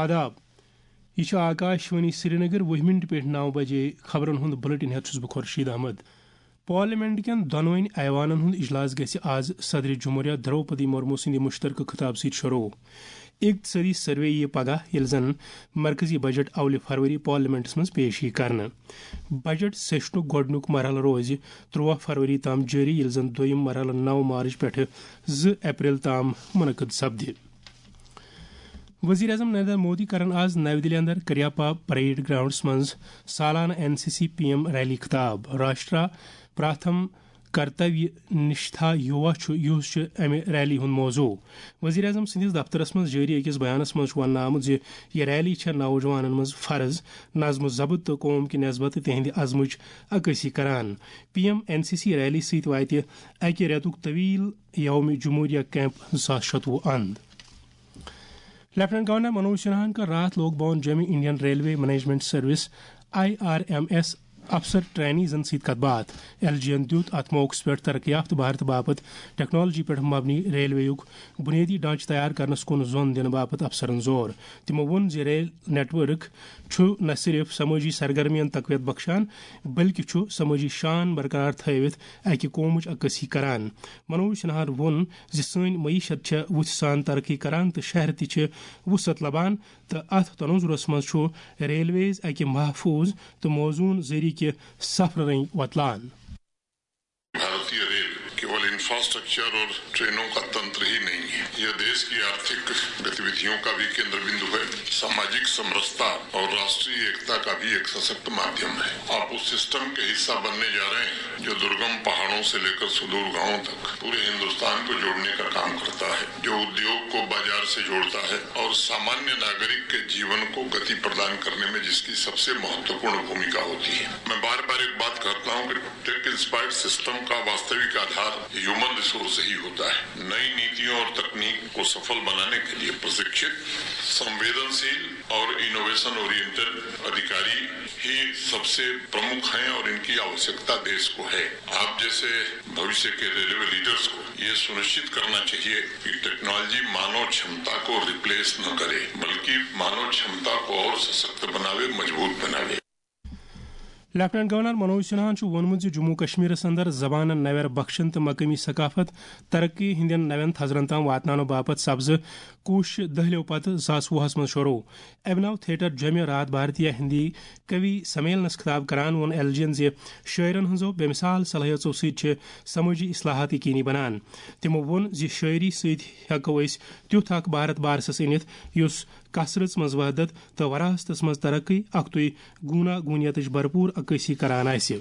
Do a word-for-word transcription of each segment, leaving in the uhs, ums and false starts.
آداب، یہِ چھُ آکاش وانی سرینگر۔ وُہ منٹ پٮ۪ٹھ نو بجے خبرن ہُنٛد بلیٹن ہٮ۪تھ چھُس بہٕ خورشید احمد۔ پارلیمنٹ کٮ۪ن دۄنوٕنی ایوانن ہُنٛد اجلاس گژھِ آز صدر جمہوریہ درٛوپدی مرمو سٕنٛدِ مُشترکہٕ خطاب سۭتۍ شروع۔ اقتصٲدی سروے یِیہِ پگاہ، ییٚلہِ زن مرکزی بجٹ اولہِ فروری پارلیمنٹس منٛز پیش یِیہِ کرنہٕ۔ بجٹ سیشنُک گۄڈٕنیُک مرحلہٕ روزِ تُرٛواہ فروری تام جٲری، ییٚلہِ زن دوٚیِم مرحلہٕ نو مارچ پٮ۪ٹھٕ زٕ اپریل تام منعقد سپدِ۔ وزیر اعظم نریندر مودی کرن آز نَوِ دِلہِ اندر کریاپا پریڈ گراؤنڈس منٛز سالانہٕ N C C P M rally خطاب۔ راشٹرا پراتھم کرتویہ نشٹھا یوا چھُ، یُس چھُ امہِ ریلی ہُنٛد موضوع۔ وزیر اعظم سٕنٛدِس دفترس منٛز جٲری أکِس بیانس منٛز چھُ وننہٕ آمُت زِ یہِ ریلی چھےٚ نوجوانن منٛز فرض، نظم و ضبط تہٕ قوم کہِ نسبت تہٕ تِہنٛدِ عزمٕچ عکٲسی کران۔ P M N C C rally سۭتۍ واتہِ اکہِ رٮ۪تُک طویل یوم جمہوریہ کیمپ زٕ ساس شتوُہ اند۔ لیفٹیننٹ گورنر منوج سنہاہن کٔر راتھ لوک بھون جوٚمہِ Indian railway management service, I R M S, افسر ٹرینیزن سۭتۍ کتھ باتھ۔ ایل جی یَن دیُت اتھ موقعس پٮ۪ٹھ ترقی یافتہٕ بھارت باپتھ ٹیکنالوجی پٮ۪ٹھ مبنی ریلوے یُک بنیٲدی ڈھانچہٕ تیار کرنس کُن زون دِنہٕ باپتھ افسرن زور۔ تِمو ووٚن زِ ریل نیٹ ورک چھُ نہ صرف سمٲجی سرگرمین تقویت بخشان، بلکہِ چھُ سمٲجی شان برقرار تھٲوِتھ اکہِ قومٕچ عکٲسی کران۔ منوج سنہاہن ووٚن زِ سٲنۍ معیشت چھےٚ وُژھِ سان ترقی کران تہٕ شہر تہِ چھِ وُسعت لبان، تہٕ اتھ تناظرس منٛز چھُ ریلویز اکہِ محفوظ تہٕ موزون ذٔریعہٕ کہِ سفرٕ رٔنگۍ وۄتلان۔ भारतीय रेल केवल इंफ्रास्ट्रक्चर और ट्रेनों का तंत्र ही नहीं है, यह देश की आर्थिक गतिविधियों का भी केंद्र बिंदु है, सामाजिक समरसता और राष्ट्रीय एकता का भी एक सशक्त माध्यम है। आप उस सिस्टम के हिस्सा बनने जा रहे हैं जो दुर्गम पहाड़ों से लेकर सुदूर गांवों तक पूरे हिंदुस्तान को जोड़ने का काम करता है, जो उद्योग को बाजार से जोड़ता है और सामान्य नागरिक के जीवन को गति प्रदान करने में जिसकी सबसे महत्वपूर्ण भूमिका होती है। मैं बार बार एक बात कहता हूँ कि टेक इंस्पायर्ड सिस्टम का वास्तविक आधार ह्यूमन रिसोर्स ही होता है। नई नीतियों और तकनीक को सफल बनाने के लिए प्रशिक्षित, संवेदनशील और इनोवेशन ओरिएंटेड अधिकारी ही सबसे प्रमुख हैं और इनकी आवश्यकता देश को है। आप जैसे भविष्य के रेलवे लीडर्स को ये सुनिश्चित करना चाहिए कि टेक्नोलॉजी मानव क्षमता को रिप्लेस न करे, बल्कि मानव क्षमता को और सशक्त बनावे, मजबूत बनावे। لیفٹیننٹ گورنر منوج سنہاہن چھُ ووٚنمُت زِ جموں کشمیرس اندر زبانن نویر بخشن تہٕ مقٲمی ثقافت ترقی ہٕنٛدٮ۪ن نوٮ۪ن تھزرن تام واتناونہٕ باپتھ سپزٕ کوٗششہٕ دٔہلِو پتہٕ زٕ ساس وُہس منٛز شروع۔ ابھنو تھیٹر جوٚمہِ راتھ بھارتیہ ہندی کوی سمیلنس خطاب کران ووٚن ایل جی ین زِ شٲعرن ہٕنٛزو بے مثال صلٲحیژو سۭتۍ چھِ سمٲجی اصلاحات یقینی بنان۔ تِمو ووٚن زِ شٲعری سۭتۍ ہٮ۪کو أسۍ تیُتھ اکھ بھارت بارسس أنِتھ یُس کثرژ منٛز وحدت تہٕ وراثتس منٛز ترقی، اکھتُے گونا گونیتٕچ بھرپور عکٲسی کران آسہِ۔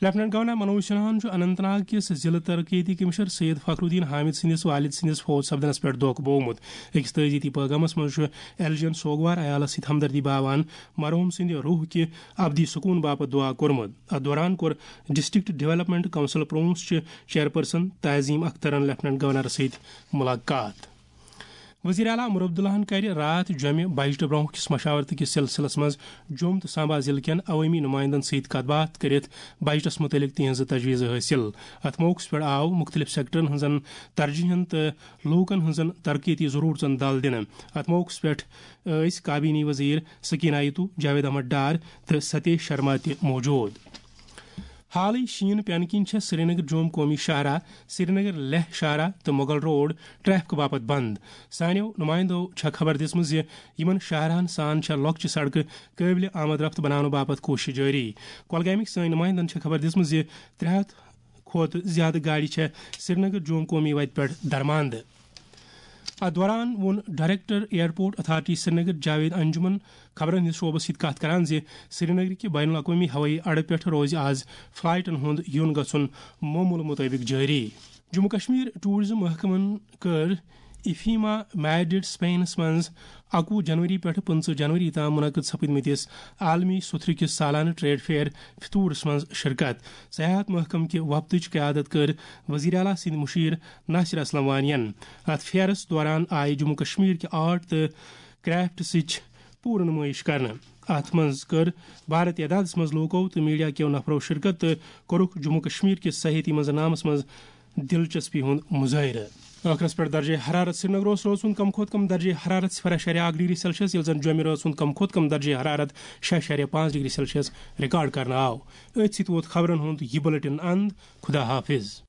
لیفٹیننٹ گورنر منوج سنہاہن چھُ اننت ناگ کِس ضلع ترقیتی کمشنر سید فخر الدین حامد سٕنٛدِس والد سٕنٛدِس فوت سپدنس پٮ۪ٹھ دۄکھ بوومُت۔ أکِس تعزیتی پیغامس منٛز چھُ ایل جی ین سوگوار عیالس سۭتۍ ہمدردی باوان مرحوم سٕنٛدِ روح کہِ ابدی سکوٗن باپتھ دعا کوٚرمُت۔ اتھ دوران کوٚر ڈسٹرکٹ ڈیولپمنٹ کونسل پرونس چہِ چیئرپرسن تعظیم اخترن لیفٹیننٹ گورنرس سۭتۍ ملاقات۔ وزیر اعلیٰ عمر عبداللہن کَرِ راتھ جوٚمہِ بجٹہٕ برونٛہہ کِس مشاورتہٕ کِس سلسلس منٛز جوٚم تہٕ سامبا ضلعہٕ کٮ۪ن عوٲمی نُمٲیندن سۭتۍ کتھ باتھ کٔرِتھ بجٹس مُتعلق تِہنٛزٕ تجویٖزٕ حٲصِل۔ اتھ موقعس پٮ۪ٹھ آو مُختٔلِف سیکٹرن ہٕنٛزن ترجیحن تہٕ لوٗکن ہٕنٛزن ترقیتی ضروٗرژن دل دِنہٕ۔ اتھ موقعس پٮ۪ٹھ ٲسۍ کابینی وزیر سکینہ ایتو، جاوید احمد ڈار تہٕ ستیش شرما تہِ موجود۔ حالٕے شیٖن پینہٕ کِنۍ چھےٚ سرینگر جوم قومی شاہراہ، سرینگر لیہہ شاہراہ تہٕ مغل روڈ ٹریفک باپتھ بند۔ سانیو نمائندو چھےٚ خبر دِژمٕژ زِ یِمن شاہراہن سان چھےٚ لۄکچہِ سڑکہٕ قٲبلِ آمد رفت بناونہٕ باپتھ کوٗشش جٲری۔ کۄلگامٕکۍ سٲنۍ نمائندن چھےٚ خبر دِژمٕژ زِ ترٛےٚ ہتھ کھۄتہٕ زیادٕ گاڑِ چھےٚ سرینگر جوم قومی وتہِ پٮ۪ٹھ درماندٕ۔ اتھ دوران ووٚن director airport authority Srinagar Javid Anjum خبرن ہٕنٛدِس شعبس سۭتۍ کتھ کران زِ سرینگر کہِ بین الاقوامی ہوٲیی اڈٕ پٮ۪ٹھ روزِ آز فلائٹن ہُنٛد یُن گژھُن معموٗلہٕ مُطٲبِق جٲری۔ جموں کشمیر ٹورازم محکمن کٔر افیما میڈرڈ اسپینس منٛز اکوُہ جنوری پٮ۪ٹھ پٕنٛژٕہ جنوری تام منعقد سپدمٕتِس عالمی سُتھرٕ کِس سالانہٕ ٹریڈ فیئر فطورس منٛز شرکت۔ سیاحت محکمہٕ کہِ وفدٕچ قیادت کٔر وزیر اعلیٰ سٕنٛدۍ مشیر ناصر اسلم وانین۔ اتھ فیئرس دوران آیہِ جموں کشمیر کہِ آرٹ تہٕ کرافٹ سٕچ پوٗرٕ نُمٲیِش کرنہٕ۔ اتھ منٛز کٔر بھارت اعدادس منٛز لوٗکو تہٕ میڈیا کیو نفرو شرکت تہٕ کوٚرُکھ جموں کشمیر کِس سیاحتی منظرنامس منٛز دلچسپی ہُنٛد مظٲہرٕ۔ ٲخرس پٮ۪ٹھ درجہ حرارت۔ سرینگرس روز سُنٛد کم کھۄتہٕ کم درجہ حرارت صفر اعشاریہ اکھ ڈگری سیلسیس، ییٚلہِ زن جومہِ روز سُنٛد کم کھۄتہٕ کم درجہ حرارت شےٚ اعشاریہ پانٛژھ ڈگری سیلسیس ریکارڈ کرنہٕ آو۔ أتھۍ سۭتۍ ووت خبرن ہُنٛد یہِ بُلٹن اند۔ خدا حافظ۔